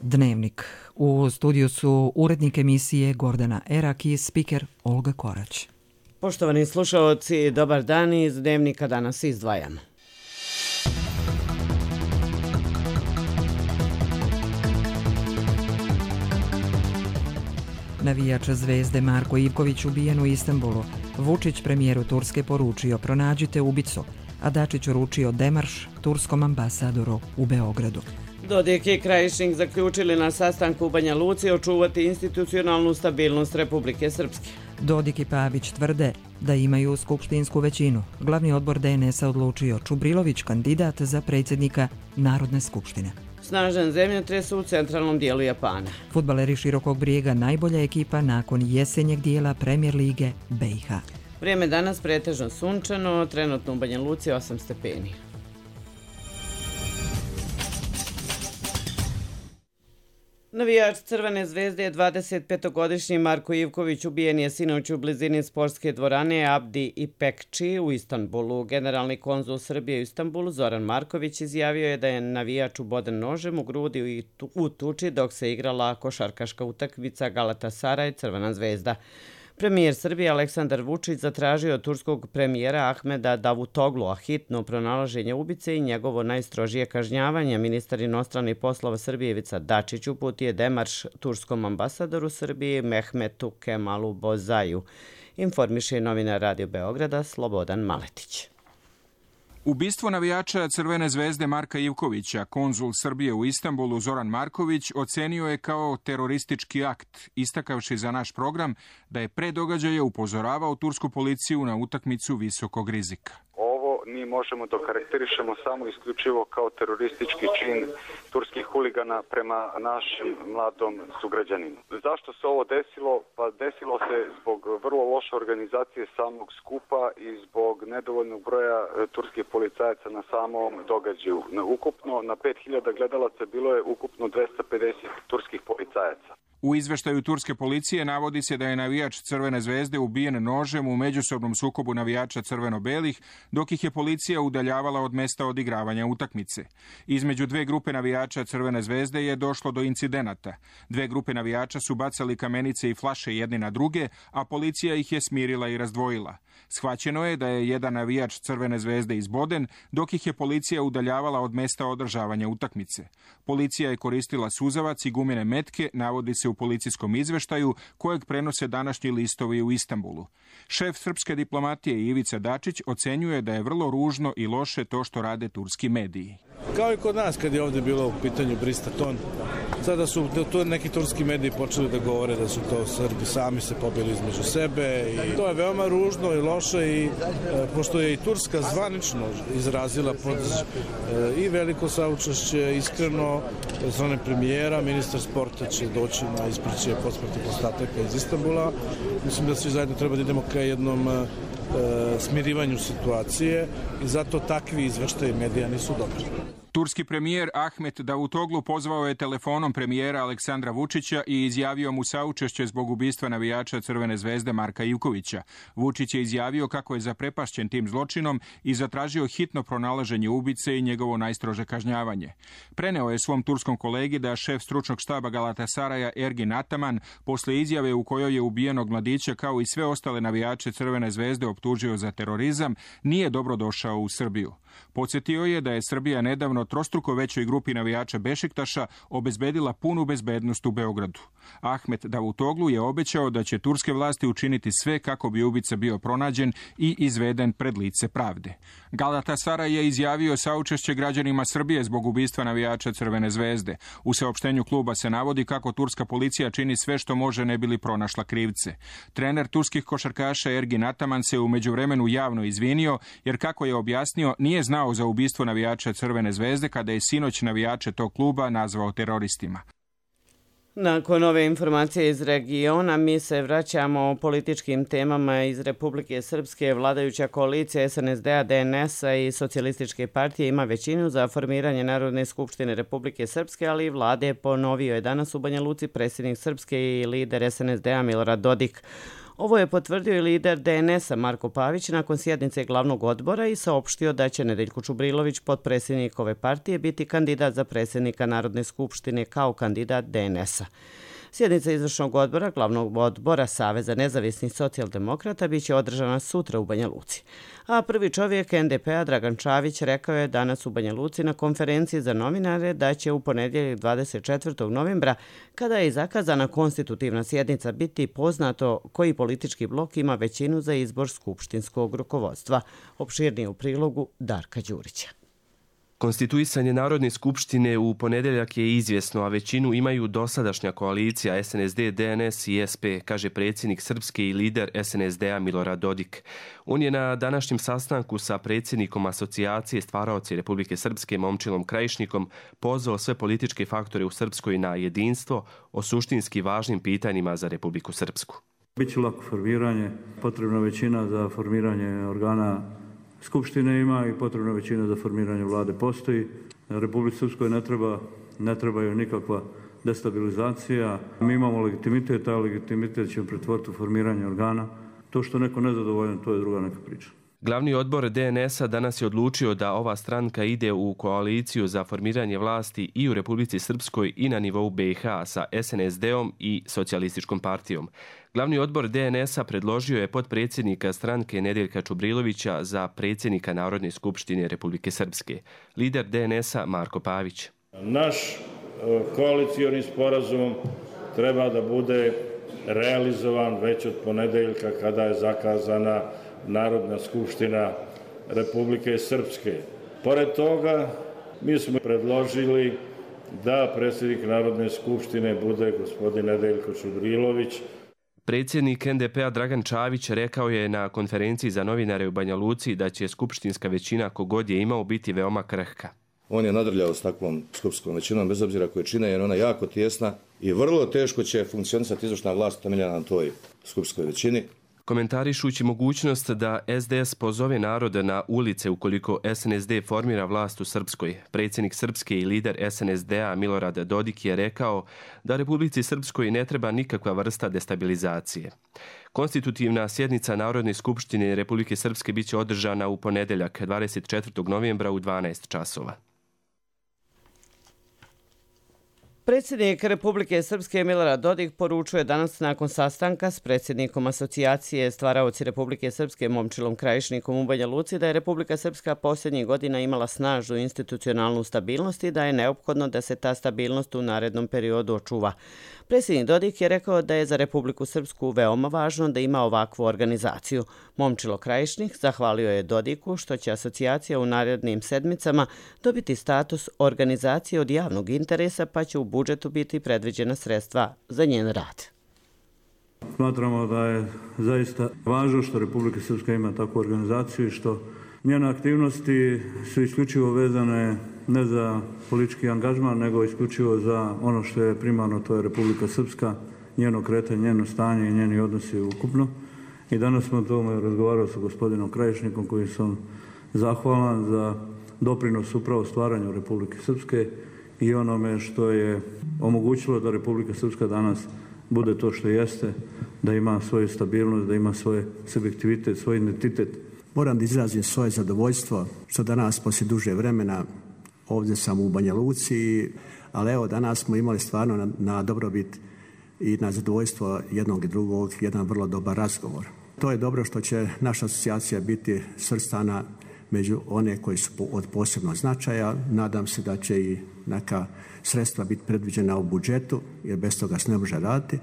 Dnevnik. U studiju su urednik emisije Gordana Erak i spiker Olga Korać. Poštovani slušalci, dobar dan, iz Dnevnika danas izdvajamo. Navijač Zvezde Marko Ivković ubijen u Istanbulu. Vučić premijeru Turske poručio pronađite ubicu, a Dačić uručio demarš turskom ambasadoru u Beogradu. Dodik i Krajišnik zaključili na sastanku u Banja Luci očuvati institucionalnu stabilnost Republike Srpske. Dodik i Pavić tvrde da imaju skupštinsku većinu. Glavni odbor DNS-a odlučio Čubrilović kandidat za predsjednika Narodne skupštine. Snažan zemljotres u centralnom dijelu Japana. Fudbaleri Širokog Brijega najbolja ekipa nakon jesenjeg dijela Premier lige BiH. Vrijeme danas pretežno sunčano, trenutno u Banja Luci 8 stepeni. Navijač Crvene zvezde je 25-godišnji Marko Ivković ubijen je sinoć u blizini sportske dvorane Abdi Ipekči u Istanbulu. Generalni konzul Srbije u Istanbulu Zoran Marković izjavio je da je navijač uboden nožem u grudi i u tuči dok se igrala košarkaška utakmica Galatasaraj Crvena zvezda. Premijer Srbije Aleksandar Vučić zatražio od turskog premijera Ahmeda Davutoglua hitno pronalaženje ubice i njegovo najstrožije kažnjavanje. Ministar inostranih poslova Srbije Ivica Dačić uputio je demarš turskom ambasadoru Srbije Mehmetu Kemalu Bozaju, informiše novinar Radio Beograda Slobodan Maletić. Ubistvo navijača Crvene zvezde Marka Ivkovića, konzul Srbije u Istanbulu Zoran Marković ocenio je kao teroristički akt, istakavši za naš program da je pre događaja upozoravao tursku policiju na utakmicu visokog rizika. Mi možemo da karakterišemo samo isključivo kao teroristički čin turskih huligana prema našem mladom sugrađaninu. Zašto se ovo desilo? Pa desilo se zbog vrlo loše organizacije samog skupa i zbog nedovoljnog broja turskih policajaca na samom događaju. Ukupno na 5000 gledalaca bilo je ukupno 250 turskih policajaca. U izveštaju turske policije navodi se da je navijač Crvene zvezde ubijen nožem u međusobnom sukobu navijača crveno-belih, dok ih je policija udaljavala od mesta odigravanja utakmice. Između dve grupe navijača Crvene zvezde je došlo do incidenata. Dve grupe navijača su bacali kamenice i flaše jedni na druge, a policija ih je smirila i razdvojila. Shvaćeno je da je jedan navijač Crvene zvezde izboden, dok ih je policija udaljavala od mesta održavanja utakmice. Policija je koristila suzavac i gumene metke, navodi se u policijskom izveštaju kojeg prenose današnji listovi u Istanbulu. Šef srpske diplomatije Ivica Dačić ocenjuje da je vrlo ružno i loše to što rade turski mediji. Kao i kod nas kad je ovdje bilo u pitanju Bristaton, sada su neki turski mediji počeli da govore da su to Srbi sami se pobili između sebe i to je veoma ružno i loše i pošto je i Turska zvanično izrazila i veliko saučešće, iskreno, od strane premijera, ministar sporta će doći na ispraćaj posmrtnih ostataka iz Istanbula. Mislim da svi zajedno treba da idemo ka jednom smirivanju situacije i zato takvi izveštaji medija nisu dobri. Turski premijer Ahmet Davutoglu pozvao je telefonom premijera Aleksandra Vučića i izjavio mu saučešće zbog ubistva navijača Crvene zvezde Marka Ivkovića. Vučić je izjavio kako je zaprepašćen tim zločinom i zatražio hitno pronalaženje ubice i njegovo najstrože kažnjavanje. Preneo je svom turskom kolegi da šef stručnog štaba Galatasaraja Ergin Ataman posle izjave u kojoj je ubijenog mladića kao i sve ostale navijače Crvene zvezde optužio za terorizam, nije dobro došao u Srbiju. Podsjetio je da je Srbija nedavno trostruko većoj grupi navijača Bešiktaša obezbedila punu bezbednost u Beogradu. Ahmet Davutoglu je obećao da će turske vlasti učiniti sve kako bi ubica bio pronađen i izveden pred lice pravde. Galatasaray je izjavio saučešće građanima Srbije zbog ubistva navijača Crvene zvezde. U saopštenju kluba se navodi kako turska policija čini sve što može ne bili pronašla krivce. Trener turskih košarkaša Ergin Ataman se u međuvremenu javno izvinio jer, kako je objasnio, nije znao za ubistvo navijača Crvene zvezde kada je sinoć navijače tog kluba nazvao teroristima. Nakon ove informacije iz regiona, mi se vraćamo o političkim temama iz Republike Srpske. Vladajuća koalicija SNSD-a, DNS-a i Socijalističke partije ima većinu za formiranje Narodne skupštine Republike Srpske, ali i vlade, ponovio je danas u Banja Luci predsjednik Srpske i lider SNSD-a Milorad Dodik. Ovo je potvrdio i lider DNS-a Marko Pavić nakon sjednice glavnog odbora i saopštio da će Nedeljko Čubrilović, potpredsjednik ove partije, biti kandidat za predsjednika Narodne skupštine kao kandidat DNS-a. Sjednica izvršnog odbora glavnog odbora Saveza nezavisnih socijaldemokrata biće održana sutra u Banja Luci. A prvi čovjek NDP-a Dragan Čavić rekao je danas u Banja Luci na konferenciji za novinare da će u ponedjeljak 24. novembra, kada je zakazana konstitutivna sjednica, biti poznato koji politički blok ima većinu za izbor skupštinskog rukovodstva. Opširnije u prilogu Darka Đurića. Konstituisanje Narodne skupštine u ponedjeljak je izvjesno, a većinu imaju dosadašnja koalicija SNSD, DNS i SP, kaže predsjednik Srpske i lider SNSD-a Milorad Dodik. On je na današnjem sastanku sa predsjednikom asocijacije stvaraoci Republike Srpske Momčilom Krajišnikom pozvao sve političke faktore u Srpskoj na jedinstvo o suštinski važnim pitanjima za Republiku Srpsku. Biće lako formiranje, potrebna većina za formiranje organa Skupštine ima i potrebna većina za formiranje vlade postoji. Republici Srpskoj ne trebaju nikakva destabilizacija. Mi imamo legitimitet, a legitimitet će pretvoriti u formiranje organa. To što neko nezadovoljan, to je druga neka priča. Glavni odbor DNS-a danas je odlučio da ova stranka ide u koaliciju za formiranje vlasti i u Republici Srpskoj i na nivou BiH sa SNSD-om i Socijalističkom partijom. Glavni odbor DNS-a predložio je potpredsjednika stranke Nedeljka Čubrilovića za predsjednika Narodne skupštine Republike Srpske. Lider DNS-a Marko Pavić. Naš koalicioni sporazum treba da bude realizovan već od ponedeljka kada je zakazana Narodna skupština Republike Srpske. Pored toga, mi smo predložili da predsjednik Narodne skupštine bude gospodin Nedeljko Čubrilović. Predsjednik NDP-a Dragan Čavić rekao je na konferenciji za novinare u Banja Luci da će skupštinska većina kogod je imao biti veoma krhka. On je nadrljao s takvom skupštinskom većinom, bez obzira koje čine, jer ona je jako tjesna i vrlo teško će funkcionisati izvršna vlast temeljena na toj skupštinskoj većini. Komentarišući mogućnost da SDS pozove narod na ulice ukoliko SNSD formira vlast u Srpskoj, predsjednik Srpske i lider SNSD-a Milorad Dodik je rekao da Republici Srpskoj ne treba nikakva vrsta destabilizacije. Konstitutivna sjednica Narodne skupštine Republike Srpske biće održana u ponedjeljak 24. novembra u 12 časova. Predsjednik Republike Srpske Milorad Dodik poručuje danas nakon sastanka s predsjednikom asocijacije stvaraoci Republike Srpske Momčilom Krajišnikom u Banja Luci da je Republika Srpska posljednjih godina imala snažnu institucionalnu stabilnost i da je neophodno da se ta stabilnost u narednom periodu očuva. Predsjednik Dodik je rekao da je za Republiku Srpsku veoma važno da ima ovakvu organizaciju. Momčilo Krajišnik zahvalio je Dodiku što će asocijacija u narednim sedmicama dobiti status organizacije od javnog interesa, pa će u budžetu biti predviđena sredstva za njen rad. Smatramo da je zaista važno što Republika Srpska ima takvu organizaciju i što njene aktivnosti su isključivo vezane ne za politički angažman, nego isključivo za ono što je primarno, to je Republika Srpska, njeno kretanje, njeno stanje i njeni odnosi ukupno. I danas smo o tome razgovarali sa gospodinom Krajišnikom, koji sam zahvalan za doprinos upravo stvaranju Republike Srpske i onome što je omogućilo da Republika Srpska danas bude to što jeste, da ima svoju stabilnost, da ima svoj subjektivitet, svoj identitet. Moram da izrazim svoje zadovoljstvo što danas poslije duže vremena ovdje sam u Banja Luci, ali evo danas smo imali stvarno na dobrobit i na zadovoljstvo jednog i drugog jedan vrlo dobar razgovor. To je dobro što će naša asocijacija biti svrstana među one koji su od posebnog značaja. Nadam se da će i neka sredstva biti predviđena u budžetu, jer bez toga se ne može raditi.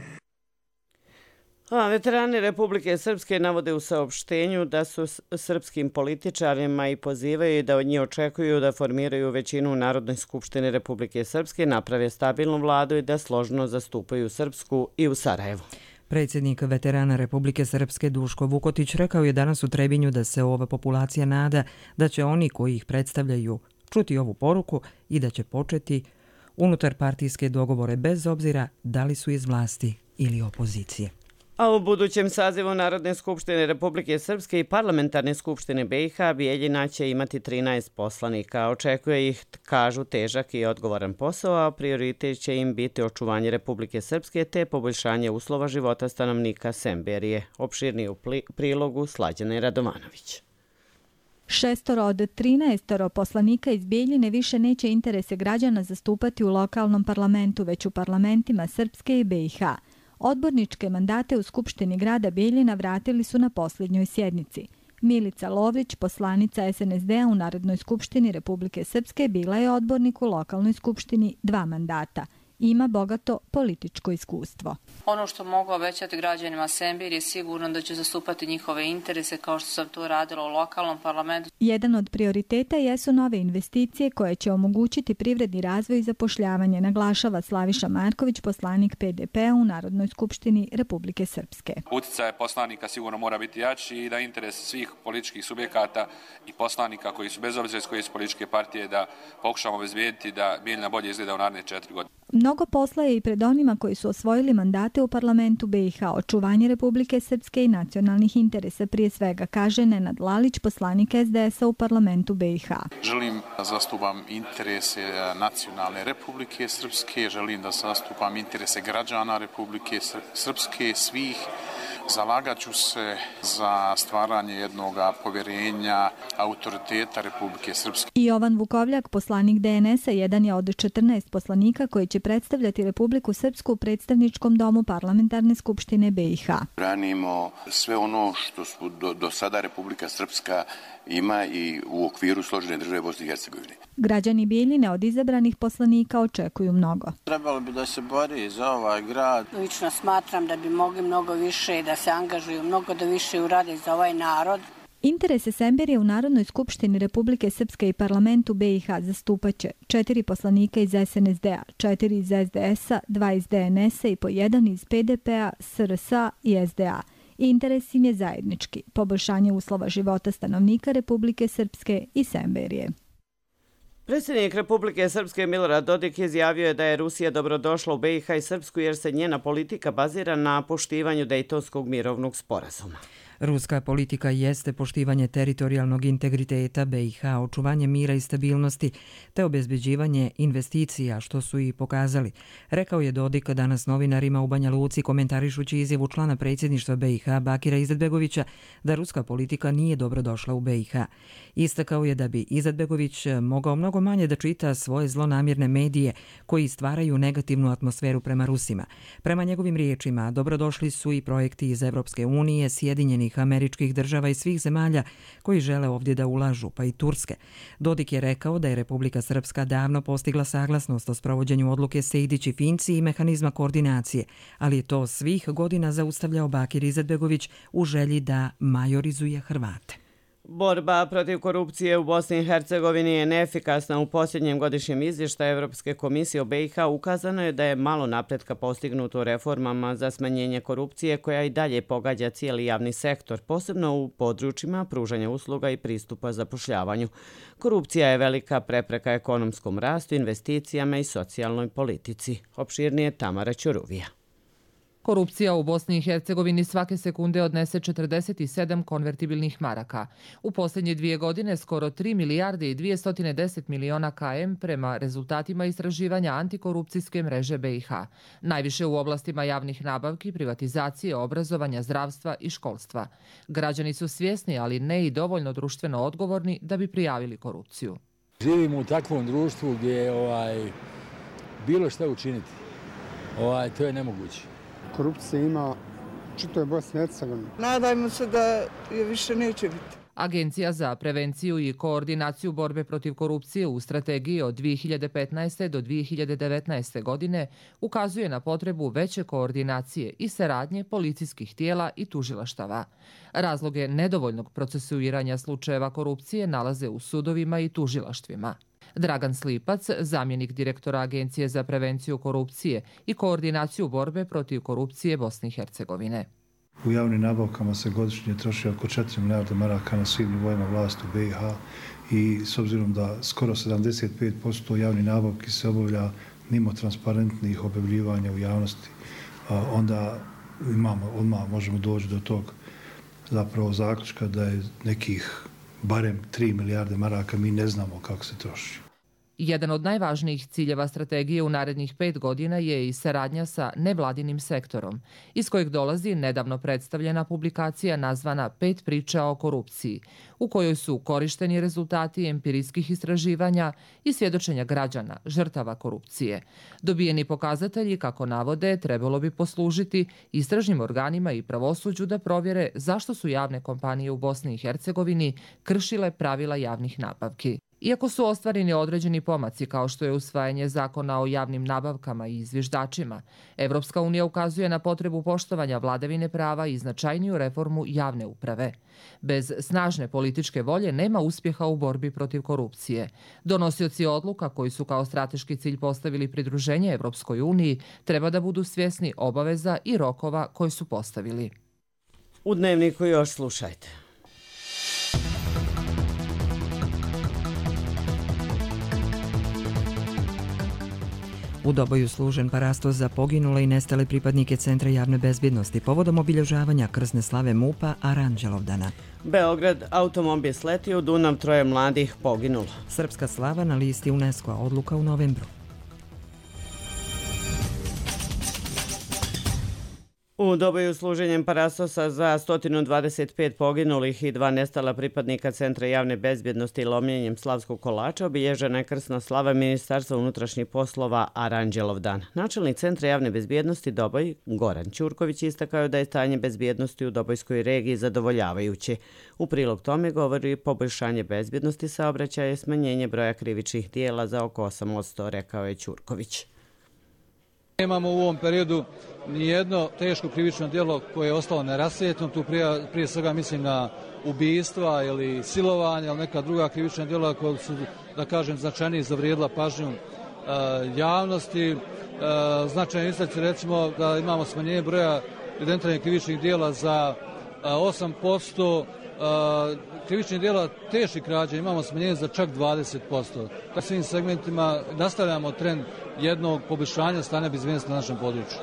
Veterani Republike Srpske navode u saopštenju da su srpskim političarima i pozivaju da od njih očekuju da formiraju većinu u Narodnoj skupštini Republike Srpske, naprave stabilnu vladu i da složno zastupaju Srpsku i u Sarajevu. Predsjednik veterana Republike Srpske Duško Vukotić rekao je danas u Trebinju da se ova populacija nada da će oni koji ih predstavljaju čuti ovu poruku i da će početi unutar partijske dogovore bez obzira da li su iz vlasti ili opozicije. A u budućem sazivu Narodne skupštine Republike Srpske i Parlamentarne skupštine BiH Bijeljina će imati 13 poslanika. Očekuje ih, kažu, težak i odgovoran posao, a prioritet će im biti očuvanje Republike Srpske te poboljšanje uslova života stanovnika Semberije. Opširniji u prilogu Slađane Radovanović. 6 od 13 poslanika iz Bijeljine više neće interese građana zastupati u lokalnom parlamentu, već u parlamentima Srpske i BiH. Odborničke mandate u Skupštini grada Bijeljina vratili su na posljednjoj sjednici. Milica Lovrić, poslanica SNSD-a u Narodnoj skupštini Republike Srpske, bila je odbornik u lokalnoj skupštini 2 mandata. Ima bogato političko iskustvo. Ono što mogu obećati građanima Semberije je sigurno da će zastupati njihove interese kao što sam to radila u lokalnom parlamentu. Jedan od prioriteta jesu nove investicije koje će omogućiti privredni razvoj i zapošljavanje, naglašava Slaviša Marković, poslanik PDP-a u Narodnoj skupštini Republike Srpske. Uticaj poslanika sigurno mora biti jači i da interes svih političkih subjekata i poslanika koji su bez obzira iz koje su političke partije da pokušamo obezbijediti da Bijeljina bolje izgleda u naredne 4 godine. Mnogo posla je i pred onima koji su osvojili mandate u parlamentu BiH, očuvanje Republike Srpske i nacionalnih interesa prije svega, kaže Nenad Lalić, poslanik SDS-a u parlamentu BiH. Želim da zastupam interese nacionalne Republike Srpske, želim da zastupam interese građana Republike Srpske, svih. Zalagat ću se za stvaranje jednog povjerenja autoriteta Republike Srpske. I Jovan Vukovljak, poslanik DNS-a, jedan je od 14 poslanika koji će predstavljati Republiku Srpsku u predstavničkom domu Parlamentarne skupštine BiH. Branimo sve ono što su do sada Republika Srpska ima i u okviru složene države Bosne i Hercegovine. Građani Bijeljine od izabranih poslanika očekuju mnogo. Trebalo bi da se bori za ovaj grad. Lično smatram da bi mogli mnogo više da se angažuju, mnogo da više urade za ovaj narod. Interese Semberije u Narodnoj skupštini Republike Srpske i parlamentu BiH zastupaće 4 poslanika iz SNSD-a, 4 iz SDS-a, 2 iz DNS-a i po 1 iz PDP-a, SRS-a i SDA. Interes im je zajednički, poboljšanje uslova života stanovnika Republike Srpske i Semberije. Predsjednik Republike Srpske Milorad Dodik izjavio je da je Rusija dobrodošla u BiH i Srpsku jer se njena politika bazira na poštivanju Dejtonskog mirovnog sporazuma. Ruska politika jeste poštivanje teritorijalnog integriteta BiH, očuvanje mira i stabilnosti te obezbeđivanje investicija, što su i pokazali, rekao je Dodik danas novinarima u Banja Luci komentarišući izjavu člana predsjedništva BiH Bakira Izetbegovića da ruska politika nije dobrodošla u BiH. Istakao je da bi Izetbegović mogao mnogo manje da čita svoje zlonamjerne medije koji stvaraju negativnu atmosferu prema Rusima. Prema njegovim riječima, dobrodošli su i projekti iz Evropske unije, Sjedinjenih Američkih država i svih zemalja koji žele ovdje da ulažu, pa i Turske. Dodik je rekao da je Republika Srpska davno postigla saglasnost o sprovođenju odluke Sejdić i Finci i mehanizma koordinacije, ali je to svih godina zaustavljao Bakir Izetbegović u želji da majorizuje Hrvate. Borba protiv korupcije u Bosni i Hercegovini je neefikasna. U posljednjem godišnjem izvještaju Evropske komisije o BiH ukazano je da je malo napretka postignuto reformama za smanjenje korupcije koja i dalje pogađa cijeli javni sektor, posebno u područjima pružanja usluga i pristupa zapošljavanju. Korupcija je velika prepreka ekonomskom rastu, investicijama i socijalnoj politici. Opširnije Tamara Ćuruvija. Korupcija u Bosni i Hercegovini svake sekunde odnese 47 konvertibilnih maraka. U posljednje 2 godine skoro 3 milijarde i 210 miliona KM prema rezultatima istraživanja antikorupcijske mreže BiH. Najviše u oblastima javnih nabavki, privatizacije, obrazovanja, zdravstva i školstva. Građani su svjesni, ali ne i dovoljno društveno odgovorni da bi prijavili korupciju. Živimo u takvom društvu gdje je bilo šta učiniti. To je nemoguće. Korupcija ima čitavoj Bosni i Hercegovini. Nadajmo se da je više neće biti. Agencija za prevenciju i koordinaciju borbe protiv korupcije u strategiji od 2015. do 2019. godine ukazuje na potrebu veće koordinacije i saradnje policijskih tijela i tužilaštava. Razloge nedovoljnog procesuiranja slučajeva korupcije nalaze u sudovima i tužilaštvima. Dragan Slipac, zamjenik direktora Agencije za prevenciju korupcije i koordinaciju borbe protiv korupcije Bosne i Hercegovine. U javnim nabavkama se godišnje troši oko 4 milijarde maraka na svim nivoima vlasti u BiH i s obzirom da skoro 75% javnih nabavki se obavlja mimo transparentnih objavljivanja u javnosti, onda odmah možemo doći do tog zapravo zaključka da je nekih barem 3 milijarde maraka, mi ne znamo kako se troši. Jedan od najvažnijih ciljeva strategije u narednih 5 godina je i saradnja sa nevladinim sektorom, iz kojeg dolazi nedavno predstavljena publikacija nazvana 5 priča o korupciji, u kojoj su korišteni rezultati empirijskih istraživanja i svjedočenja građana, žrtava korupcije. Dobijeni pokazatelji, kako navode, trebalo bi poslužiti istražnim organima i pravosuđu da provjere zašto su javne kompanije u Bosni i Hercegovini kršile pravila javnih nabavki. Iako su ostvareni određeni pomaci kao što je usvajanje zakona o javnim nabavkama i zviždačima, Evropska unija ukazuje na potrebu poštovanja vladavine prava i značajniju reformu javne uprave. Bez snažne političke volje nema uspjeha u borbi protiv korupcije. Donosioci odluka koji su kao strateški cilj postavili pridruženje Evropskoj uniji treba da budu svjesni obaveza i rokova koje su postavili. U Dnevniku još slušajte. U Doboju služen parastos za poginule i nestale pripadnike Centra javne bezbjednosti povodom obilježavanja krsne slave MUP-a Aranđelovdana. Beograd, automobil sletio u Dunav, 3 mladih poginulo. Srpska slava na listi UNESCO-a, odluka u novembru. U Doboju služenjem parastosa za 125 poginulih i 2 nestala pripadnika Centra javne bezbjednosti i lomljenjem slavskog kolača obilježena je krsna slava Ministarstva unutrašnjih poslova Aranđelovdan. Načelnik Centra javne bezbjednosti Doboj, Goran Ćurković, istakao da je stanje bezbjednosti u Dobojskoj regiji zadovoljavajuće. U prilog tome govori poboljšanje bezbjednosti saobraćaja i smanjenje broja krivičnih dijela za oko 8%, rekao je Ćurković. Nemamo u ovom periodu nijedno teško krivično djelo koje je ostalo nerasvijetljeno. Tu prije svega mislim na ubistva ili silovanja ili neka druga krivična djela koja su, da kažem, značajnije zavrijedila pažnju javnosti. Značajno istaći recimo da imamo smanjenje broja evidentiranih krivičnih djela za 8%, krivičnih djela teških krađa imamo smanjenje za čak 20%. U svim segmentima nastavljamo trend jednog poboljšanja stanja bezbjednosti na našem području.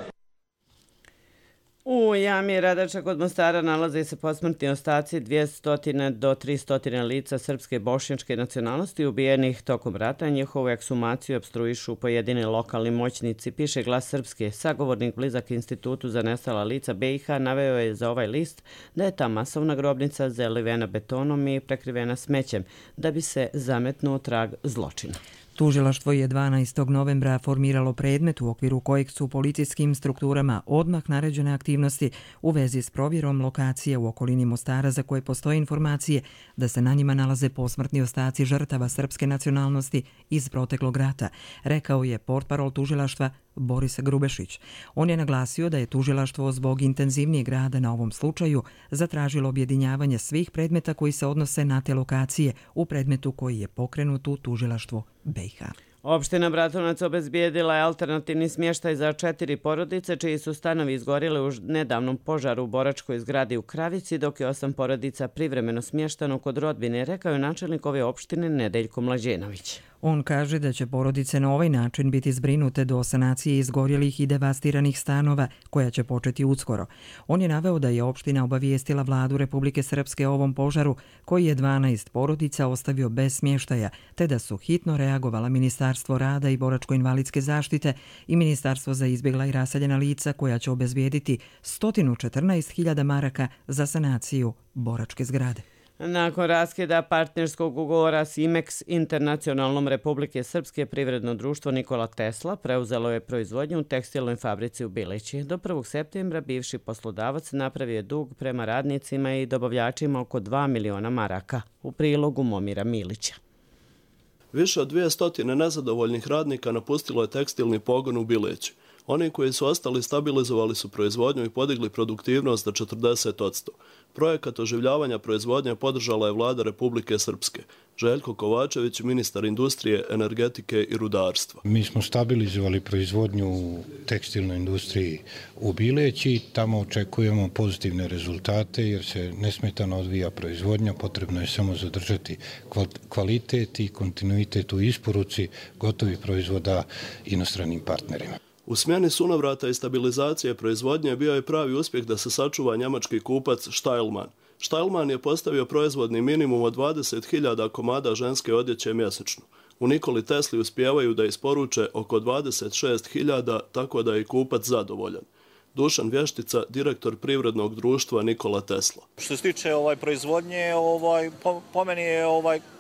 U jami Radača kod Mostara nalaze se posmrtni ostaci 200 do 300 lica srpske bošnjačke nacionalnosti ubijenih tokom rata. Njihovu ekshumaciju opstruišu pojedini lokalni moćnici, piše Glas Srpske. Sagovornik blizak Institutu za nestala lica BiH naveo je za ovaj list da je ta masovna grobnica zalivena betonom i prekrivena smećem da bi se zametnuo trag zločina. Tužilaštvo je 12. novembra formiralo predmet u okviru kojeg su policijskim strukturama odmah naređene aktivnosti u vezi s provjerom lokacije u okolini Mostara za koje postoje informacije da se na njima nalaze posmrtni ostaci žrtava srpske nacionalnosti iz proteklog rata, rekao je portparol tužilaštva Boris Grubešić. On je naglasio da je tužilaštvo zbog intenzivnijeg rada na ovom slučaju zatražilo objedinjavanje svih predmeta koji se odnose na te lokacije u predmetu koji je pokrenut u tužilaštvu BiH. Opština Bratunac obezbijedila je alternativni smještaj za 4 porodice čiji su stanovi izgorili u nedavnom požaru u boračkoj zgradi u Kravici, dok je 8 porodica privremeno smještano kod rodbine, rekao je načelnik ove opštine Nedeljko Mlađenović. On kaže da će porodice na ovaj način biti zbrinute do sanacije izgorjelih i devastiranih stanova, koja će početi uskoro. On je naveo da je opština obavijestila vladu Republike Srpske o ovom požaru, koji je 12 porodica ostavio bez smještaja, te da su hitno reagovala Ministarstvo rada i boračko-invalidske zaštite i Ministarstvo za izbjegla i raseljena lica, koja će obezbijediti 114.000 maraka za sanaciju boračke zgrade. Nakon raskida partnerskog ugovora s Imex Internacionalnom Republike Srpske, privredno društvo Nikola Tesla preuzelo je proizvodnju u tekstilnoj fabrici u Bilići. Do 1. septembra bivši poslodavac napravio je dug prema radnicima i dobavljačima oko 2 miliona maraka. U prilogu Momira Milića. Više od 200 nezadovoljnih radnika napustilo je tekstilni pogon u Bilići. Oni koji su ostali stabilizovali su proizvodnju i podigli produktivnost za 40%. Projekat oživljavanja proizvodnje podržala je vlada Republike Srpske. Željko Kovačević, ministar industrije, energetike i rudarstva. Mi smo stabilizovali proizvodnju u tekstilnoj industriji u Bileći. Tamo očekujemo pozitivne rezultate jer se nesmetano odvija proizvodnja. Potrebno je samo zadržati kvalitet i kontinuitet u isporuci gotovih proizvoda inostranim partnerima. U smjeni sunovrata i stabilizacije proizvodnje bio je pravi uspjeh da se sačuva njemački kupac Steilmann. Steilmann je postavio proizvodni minimum od 20.000 komada ženske odjeće mjesečno. U Nikoli Tesli uspijevaju da isporuče oko 26.000, tako da je kupac zadovoljan. Dušan Vještica, direktor privrednog društva Nikola Tesla. Što se tiče proizvodnje, po meni je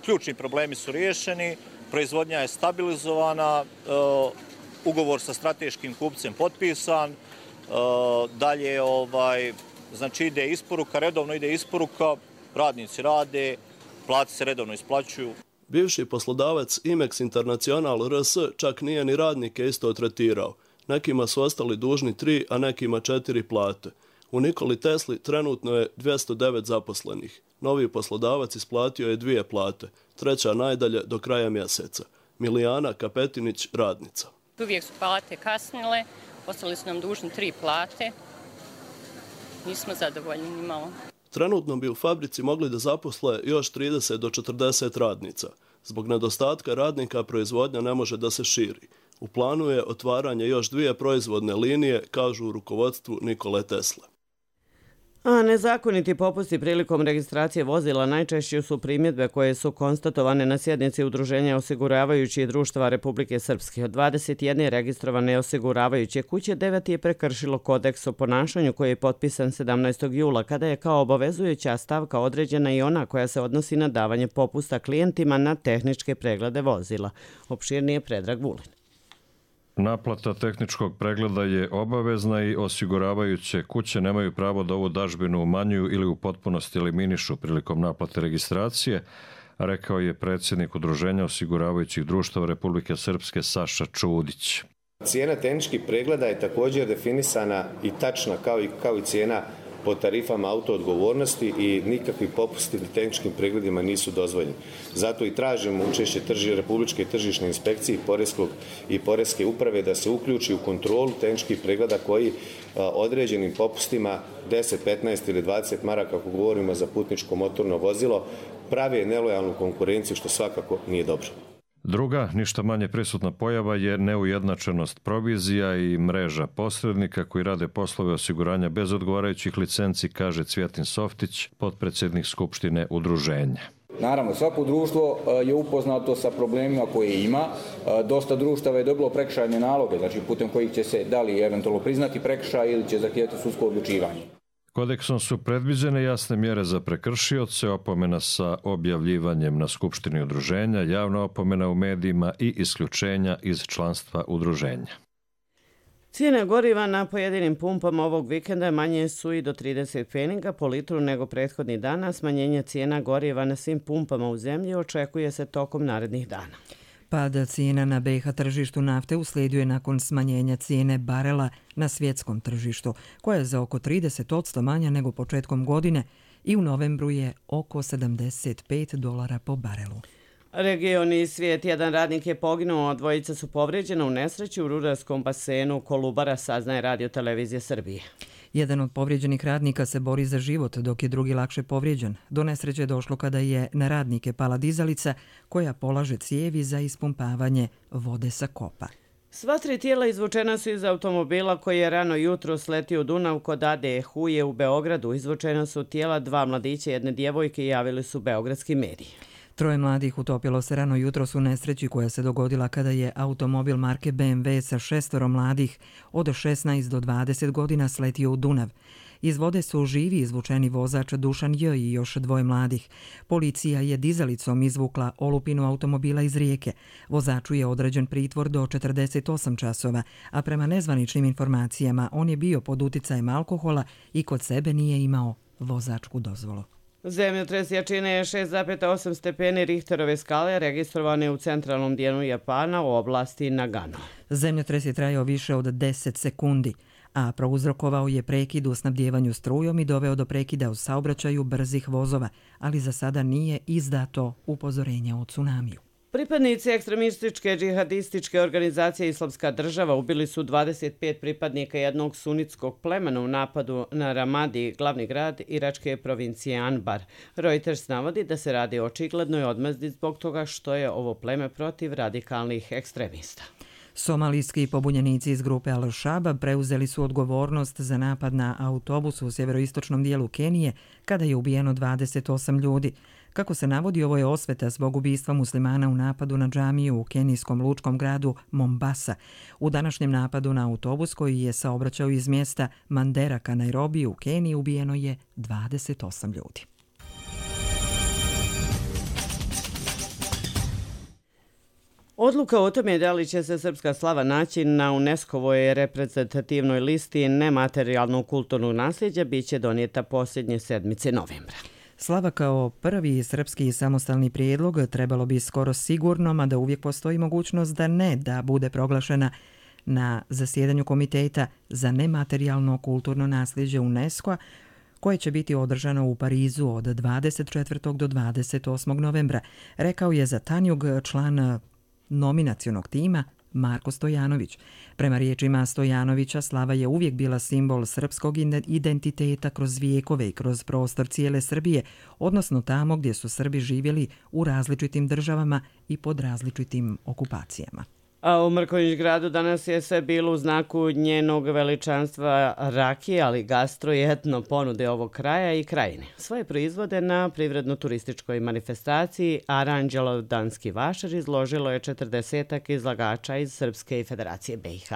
ključni problemi su riješeni, proizvodnja je stabilizovana, ugovor sa strateškim kupcem potpisan, dalje znači ide isporuka, redovno ide isporuka, radnici rade, plate se redovno isplaćuju. Bivši poslodavac Imex International RS čak nije ni radnike isto tretirao. Nekima su ostali dužni 3, a nekima 4 plate. U Nikoli Tesli trenutno je 209 zaposlenih. Novi poslodavac isplatio je 2 plate, treća najdalje do kraja mjeseca. Milijana Kapetinić, radnica. Uvijek su plate kasnile, ostali su nam dužni 3 plate. Nismo zadovoljni ni malo. Trenutno bi u fabrici mogli da zaposle još 30 do 40 radnica. Zbog nedostatka radnika proizvodnja ne može da se širi. U planu je otvaranje još 2 proizvodne linije, kažu u rukovodstvu Nikole Tesle. A nezakoniti popusti prilikom registracije vozila najčešće su primjedbe koje su konstatovane na sjednici Udruženja osiguravajućih društava Republike Srpske. Od 21 registrovane osiguravajuće kuće, 9 je prekršilo kodeks o ponašanju koji je potpisan 17. jula, kada je kao obavezujuća stavka određena i ona koja se odnosi na davanje popusta klijentima na tehničke preglede vozila. Opširnije Predrag Vulin. Naplata tehničkog pregleda je obavezna i osiguravajuće kuće nemaju pravo da ovu dažbinu umanjuju ili u potpunosti eliminišu prilikom naplate registracije, rekao je predsjednik Udruženja osiguravajućih društava Republike Srpske Saša Čudić. Cijena tehničkih pregleda je također definisana i tačna kao i cijena po tarifama autoodgovornosti i nikakvi popusti na tehničkim pregledima nisu dozvoljeni. Zato i tražimo učešće Republičke tržišne inspekcije i Poreske uprave da se uključi u kontrolu tehničkih pregleda koji određenim popustima 10, 15 ili 20 maraka, ako govorimo za putničko motorno vozilo, prave nelojalnu konkurenciju, što svakako nije dobro. Druga, ništa manje prisutna pojava je neujednačenost provizija i mreža posrednika koji rade poslove osiguranja bez odgovarajućih licenci, kaže Cvjetin Softić, potpredsjednik Skupštine Udruženja. Naravno, svako društvo je upoznato sa problemima koje ima. Dosta društava je dobilo prekršajne naloge, znači putem kojih će se da li eventualno priznati prekršaj ili će zahtijevati sudsko odlučivanje. Kodeksom su predviđene jasne mjere za prekršioce, opomena sa objavljivanjem na Skupštini udruženja, javna opomena u medijima i isključenja iz članstva udruženja. Cijene goriva na pojedinim pumpama ovog vikenda manje su i do 30 pfeniga po litru nego prethodnih dana. Smanjenje cijena goriva na svim pumpama u zemlji očekuje se tokom narednih dana. Pada cijena na BiH tržištu nafte uslijedio je nakon smanjenja cijene barela na svjetskom tržištu, koja je za oko 30% manja nego početkom godine i u novembru je oko $75 po barelu. Region i svijet. Jedan radnik je poginuo, a 2 su povrijeđena u nesreći u rudarskom basenu Kolubara, saznaje Radio Televizije Srbije. Jedan od povrijeđenih radnika se bori za život, dok je drugi lakše povrijeđen. Do nesreće je došlo kada je na radnike pala dizalica koja polaže cijevi za ispumpavanje vode sa kopa. Sva 3 tijela izvučena su iz automobila koji je rano jutro sletio u Dunav kod Ade Huje u Beogradu. Izvučena su tijela 2 mladića i 1 djevojke, javili su beogradski mediji. 3 mladih utopilo se rano jutros u nesreći koja se dogodila kada je automobil marke BMW sa 6 mladih od 16 do 20 godina sletio u Dunav. Iz vode su živi izvučeni vozač Dušan J. i još 2 mladih. Policija je dizalicom izvukla olupinu automobila iz rijeke. Vozaču je određen pritvor do 48 časova, a prema nezvaničnim informacijama on je bio pod uticajem alkohola i kod sebe nije imao vozačku dozvolu. Zemljotres jačine je 6,8 stepeni Richterove skale, registrovane u centralnom dijelu Japana u oblasti Nagano. Zemljotres je trajao više od 10 sekundi, a prouzrokovao je prekid u snabdjevanju strujom i doveo do prekida u saobraćaju brzih vozova, ali za sada nije izdato upozorenje o tsunamiju. Pripadnici ekstremističke džihadističke organizacije Islamska država ubili su 25 pripadnika jednog sunitskog plemena u napadu na Ramadi, glavni grad iračke provincije Anbar. Reuters navodi da se radi o očiglednoj odmazdi zbog toga što je ovo pleme protiv radikalnih ekstremista. Somalijski pobunjenici iz grupe Al-Shabaab preuzeli su odgovornost za napad na autobus u sjeveroistočnom dijelu Kenije kada je ubijeno 28 ljudi. Kako se navodi, ovo je osveta zbog ubistva muslimana u napadu na džamiju u kenijskom lučkom gradu Mombasa. U današnjem napadu na autobus koji je saobraćao iz mjesta Mandera ka Nairobiju u Keniji ubijeno je 28 ljudi. Odluka o tome da li će se srpska slava naći na UNESCO-voj reprezentativnoj listi nematerijalnog kulturnog nasljeđa biće donijeta posljednje sedmice novembra. Slava kao prvi srpski samostalni prijedlog trebalo bi skoro sigurno, mada uvijek postoji mogućnost da bude proglašena na zasjedanju Komiteta za nematerijalno kulturno nasljeđe UNESCO-a, koje će biti održano u Parizu od 24. do 28. novembra, rekao je za Tanjug član nominacionog tima Marko Stojanović. Prema riječima Stojanovića, slava je uvijek bila simbol srpskog identiteta kroz vijekove i kroz prostor cijele Srbije, odnosno tamo gdje su Srbi živjeli u različitim državama i pod različitim okupacijama. A u Mrkonjić-gradu danas je sve bilo u znaku njenog veličanstva rakije, ali gastro i etno ponude ovog kraja i krajine. Svoje proizvode na privredno-turističkoj manifestaciji Aranđelov danski vašar izložilo je 40 izlagača iz Srpske i Federacije BiH.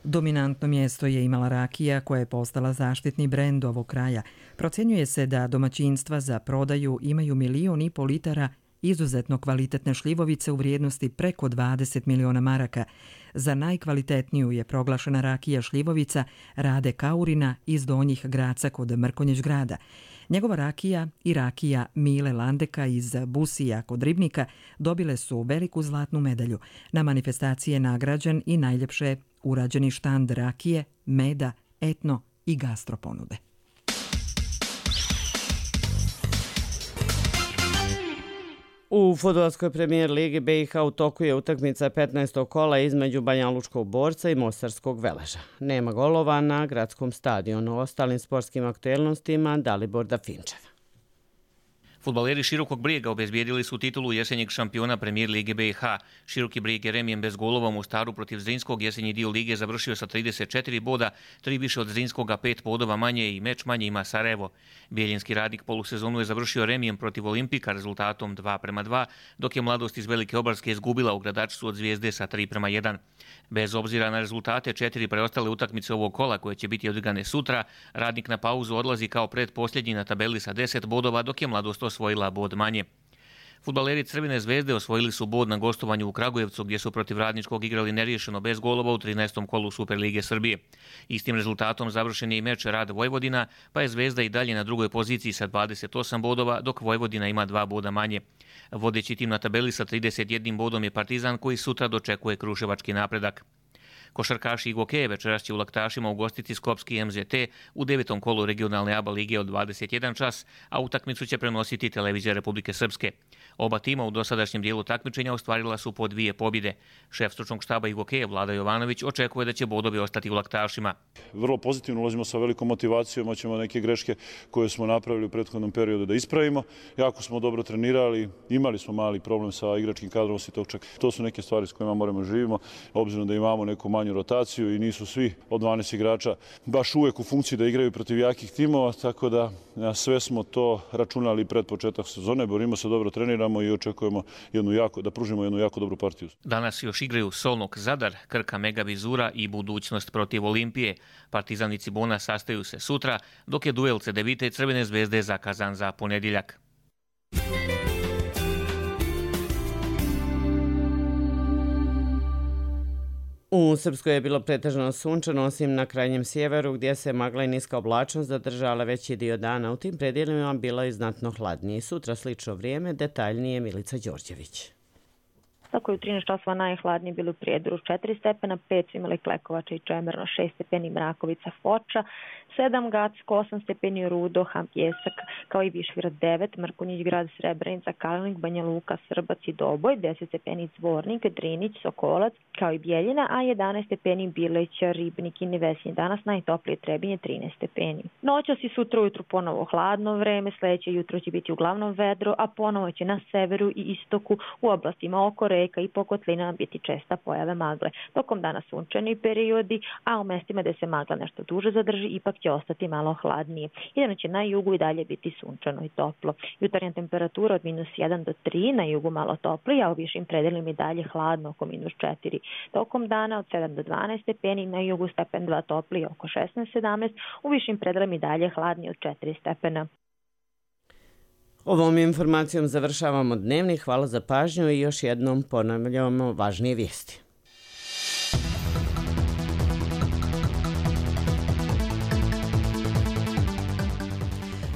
Dominantno mjesto je imala rakija koja je postala zaštitni brend ovog kraja. Procjenjuje se da domaćinstva za prodaju imaju 1,5 miliona litara izuzetno kvalitetne šljivovice u vrijednosti preko 20 miliona maraka. Za najkvalitetniju je proglašena rakija šljivovica Rade Kaurina iz Donjih Graca kod Mrkonjić-grada. Njegova rakija i rakija Mile Landeka iz Busija kod Ribnika dobile su veliku zlatnu medalju. Na manifestaciji je nagrađen i najljepše urađeni štand rakije, meda, etno i gastro ponude. U fudbalskoj premijer ligi BiH u toku je utakmica 15. kola između Banjalučkog Borca i Mostarskog Veleža. Nema golova na gradskom stadionu. O ostalim sportskim aktuelnostima Dalibor Dafinčev. Fudbaleri Širokog Brijega obezbijedili su titulu jesenjeg šampiona premijer lige BiH. Široki Brijeg je remijem bez golova u Mostaru protiv Zrinskog jesenji dio lige završio sa 34 boda, 3 više od Zrinskoga, 5 bodova manje i meč manje ima Sarajevo. Bijeljinski Radnik polusezonu je završio remijem protiv Olimpika rezultatom 2:2, dok je Mladost iz Velike Obarske izgubila u Gradačcu od Zvijezde sa 3:1. Bez obzira na rezultate 4 preostale utakmice ovog kola koje će biti odigrane sutra, Radnik na pauzu odlazi kao predposljednji na tabeli sa 10 bodova, dok je Mladost osvojila bod manje. Fudbaleri Crvene zvezde osvojili su bod na gostovanju u Kragujevcu gdje su protiv Radničkog igrali neriješeno bez golova u 13. kolu Superlige Srbije. Istim rezultatom završen je i meč Rad Vojvodina, pa je Zvezda i dalje na drugoj poziciji sa 28 bodova, dok Vojvodina ima 2 boda manje. Vodeći tim na tabeli sa 31 bodom je Partizan koji sutra dočekuje kruševački napredak. Košarkaši Igokeje večeras će u Laktašima ugostiti Skopski MZT u 9. kolu regionalne ABA lige od 21 čas, a utakmicu će prenositi Televizija Republike Srpske. Oba tima u dosadašnjem dijelu takmičenja ostvarila su po 2 pobjede. Šef stručnog štaba Igokeje Vlada Jovanović očekuje da će bodovi ostati u Laktašima. Vrlo pozitivno ulazimo sa velikom motivacijom, hoćemo neke greške koje smo napravili u prethodnom periodu da ispravimo. Jako smo dobro trenirali, imali smo mali problem sa igračkim kadrom Sitočak. To su neke stvari s kojima moramo živimo, obzirom da imamo neku manju rotaciju i nisu svi od 12 igrača baš uvek u funkciji da igraju protiv jakih timova, tako da sve smo to računali pred početak sezone, borimo se, dobro treniramo i očekujemo da pružimo jednu jako dobru partiju. Danas još igraju Solnog Zadar, Krka Mega Vizura i Budućnost protiv Olimpije. Partizan i Cibona sastaju se sutra, dok je duel Cedevite i Crvene zvezde zakazan za ponedjeljak. U Srpskoj je bilo pretežno sunčano, osim na krajnjem sjeveru gdje se magla i niska oblačnost zadržala veći dio dana. U tim predjelima bilo je znatno hladnije. Sutra slično vrijeme, detaljnije Milica Đorđević. Tako je u 13 časova najhladnije bilo u Prijedoru 4 stepena, 5 su imali Klekovača i Čemerno, 6 stepeni Mrakovica, Foča, 7 Gacko, 8 stepeni Rudo, Ham Pjesak, kao i Višegrad 9, Mrkonjić grad, Srebrenica, Kalnik, Banja Luka, Srbac i Doboj, 10 stepeni Zvornik, Drinić, Sokolac, kao i Bijeljina, a 11 stepeni Bileća, Ribnik i Nevesinje. Danas najtoplije Trebinje 13 stepeni. Noćas i sutra ujutru ponovo hladno vreme, sljedeće jutro će biti uglavnom vedro, a ponovo će na severu i istoku u oblastima oko reka i po kotlinama biti česta pojave magle. Tokom dana sunčani periodi, a u mestima gde se magla nešto duže zadrži, ipak će ostati malo hladnije. Jedino će na jugu i dalje biti sunčano i toplo. Jutarnja temperatura od -1 do 3, na jugu malo toplije, a u višim predelima i dalje hladno oko -4. Tokom dana od 7 do 12 stepeni, na jugu stepen 2 toplije oko 16-17, u višim predelima i dalje hladnije od 4 stepena. Ovom informacijom završavamo dnevni. Hvala za pažnju i još jednom ponavljamo važnije vijesti.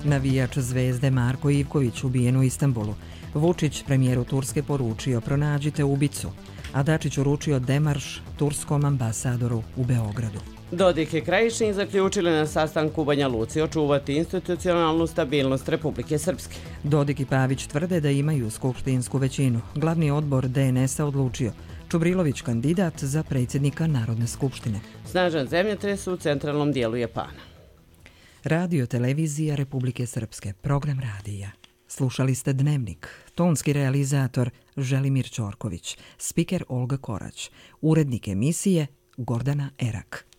Navijač Zvezde Marko Ivković ubijen u Istanbulu. Vučić premijeru Turske poručio pronađite ubicu, a Dačić uručio demarš turskom ambasadoru u Beogradu. Dodik i Krajišnik zaključili na sastanku u Banja Luci očuvati institucionalnu stabilnost Republike Srpske. Dodik i Pavić tvrde da imaju skupštinsku većinu. Glavni odbor DNS-a odlučio Čubrilović kandidat za predsjednika Narodne skupštine. Snažan zemljotres u centralnom dijelu Japana. Radio televizija Republike Srpske, program radija. Slušali ste Dnevnik, tonski realizator Želimir Ćorković, spiker Olga Korać, urednik emisije Gordana Erak.